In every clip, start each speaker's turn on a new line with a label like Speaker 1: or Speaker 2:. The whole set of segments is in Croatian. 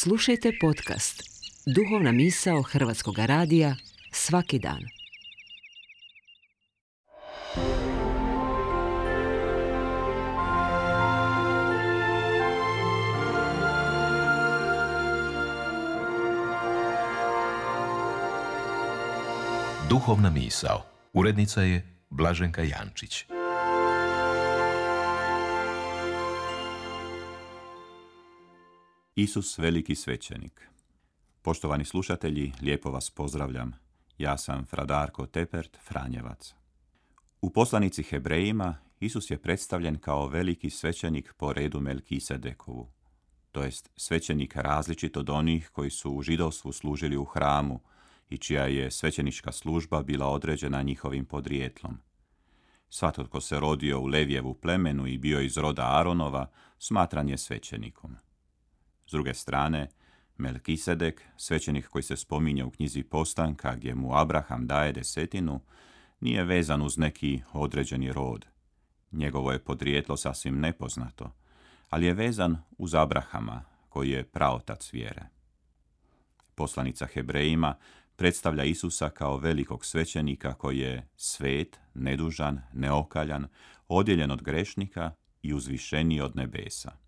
Speaker 1: Slušajte podcast Duhovna misao Hrvatskog radija svaki dan.
Speaker 2: Duhovna misao. Urednica je Blaženka Jančić.
Speaker 3: Isus veliki svećenik. Poštovani slušatelji, lijepo vas pozdravljam. Ja sam fra Darko Tepert, Franjevac. U poslanici Hebrejima Isus je predstavljen kao veliki svećenik po redu Melkisedekovu, to jest svećenik različit od onih koji su u židovstvu služili u hramu i čija je svećenička služba bila određena njihovim podrijetlom. Svatko tko se rodio u Levijevu plemenu i bio iz roda Aronova, smatran je svećenikom. S druge strane, Melkisedek, svećenik koji se spominje u knjizi Postanka gdje mu Abraham daje desetinu, nije vezan uz neki određeni rod. Njegovo je podrijetlo sasvim nepoznato, ali je vezan uz Abrahama, koji je praotac vjere. Poslanica Hebrejima predstavlja Isusa kao velikog svećenika koji je svet, nedužan, neokaljan, odjeljen od grešnika i uzvišeniji od nebesa.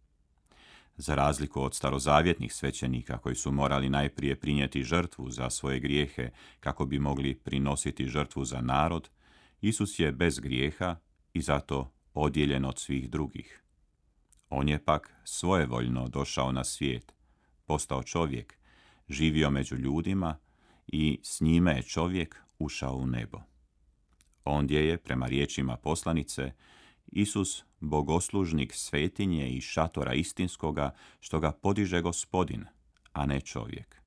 Speaker 3: Za razliku od starozavjetnih svećenika koji su morali najprije prinijeti žrtvu za svoje grijehe kako bi mogli prinositi žrtvu za narod, Isus je bez grijeha i zato odjeljen od svih drugih. On je pak svojevoljno došao na svijet, postao čovjek, živio među ljudima i s njime je čovjek ušao u nebo. Ondje je, prema riječima poslanice, Isus bogoslužnik svetinje i šatora istinskoga, što ga podiže Gospodin, a ne čovjek.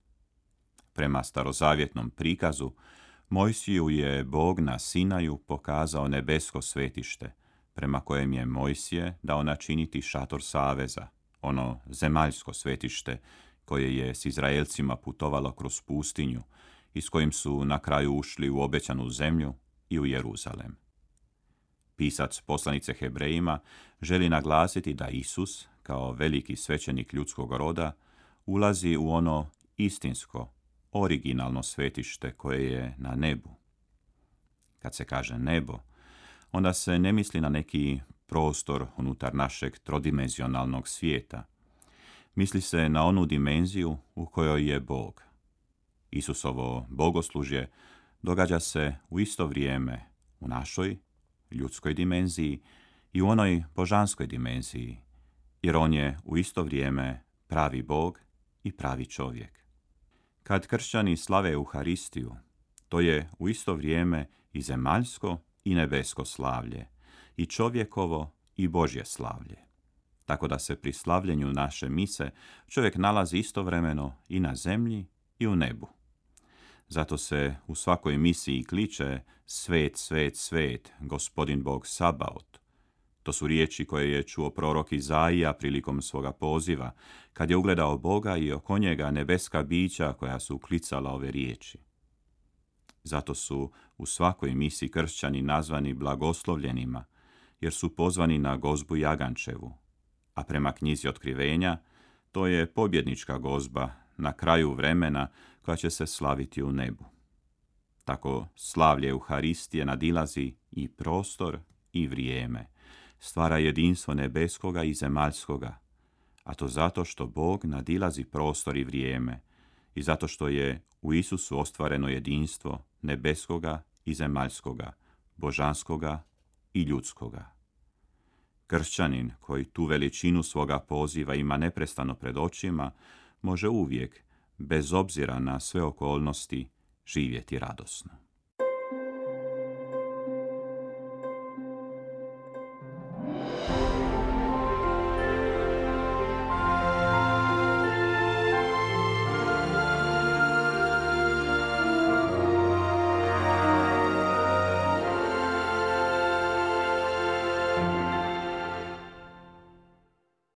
Speaker 3: Prema starozavjetnom prikazu, Mojsiju je Bog na Sinaju pokazao nebesko svetište, prema kojem je Mojsije dao načiniti šator saveza, ono zemaljsko svetište koje je s Izraelcima putovalo kroz pustinju i s kojim su na kraju ušli u obećanu zemlju i u Jeruzalem. Pisac poslanice Hebrejima želi naglasiti da Isus, kao veliki svećenik ljudskog roda, ulazi u ono istinsko, originalno svetište koje je na nebu. Kad se kaže nebo, onda se ne misli na neki prostor unutar našeg trodimenzionalnog svijeta. Misli se na onu dimenziju u kojoj je Bog. Isusovo bogoslužje događa se u isto vrijeme u našoj ljudskoj dimenziji i u onoj božanskoj dimenziji, jer on je u isto vrijeme pravi Bog i pravi čovjek. Kad kršćani slave Euharistiju, to je u isto vrijeme i zemaljsko i nebesko slavlje, i čovjekovo i Božje slavlje. Tako da se pri slavljenju naše mise čovjek nalazi istovremeno i na zemlji i u nebu. Zato se u svakoj misiji kliče svet, svet, svet, Gospodin Bog Sabaot. To su riječi koje je čuo prorok Izaija prilikom svoga poziva, kad je ugledao Boga i oko njega nebeska bića koja su klicala ove riječi. Zato su u svakoj misiji kršćani nazvani blagoslovljenima, jer su pozvani na gozbu Jagančevu, a prema knjizi Otkrivenja to je pobjednička gozba na kraju vremena koja će se slaviti u nebu. Tako slavlje Euharistije nadilazi i prostor i vrijeme, stvara jedinstvo nebeskoga i zemaljskoga, a to zato što Bog nadilazi prostor i vrijeme i zato što je u Isusu ostvareno jedinstvo nebeskoga i zemaljskoga, božanskoga i ljudskoga. Kršćanin koji tu veličinu svoga poziva ima neprestano pred očima, može uvijek, bez obzira na sve okolnosti, živjeti radosno.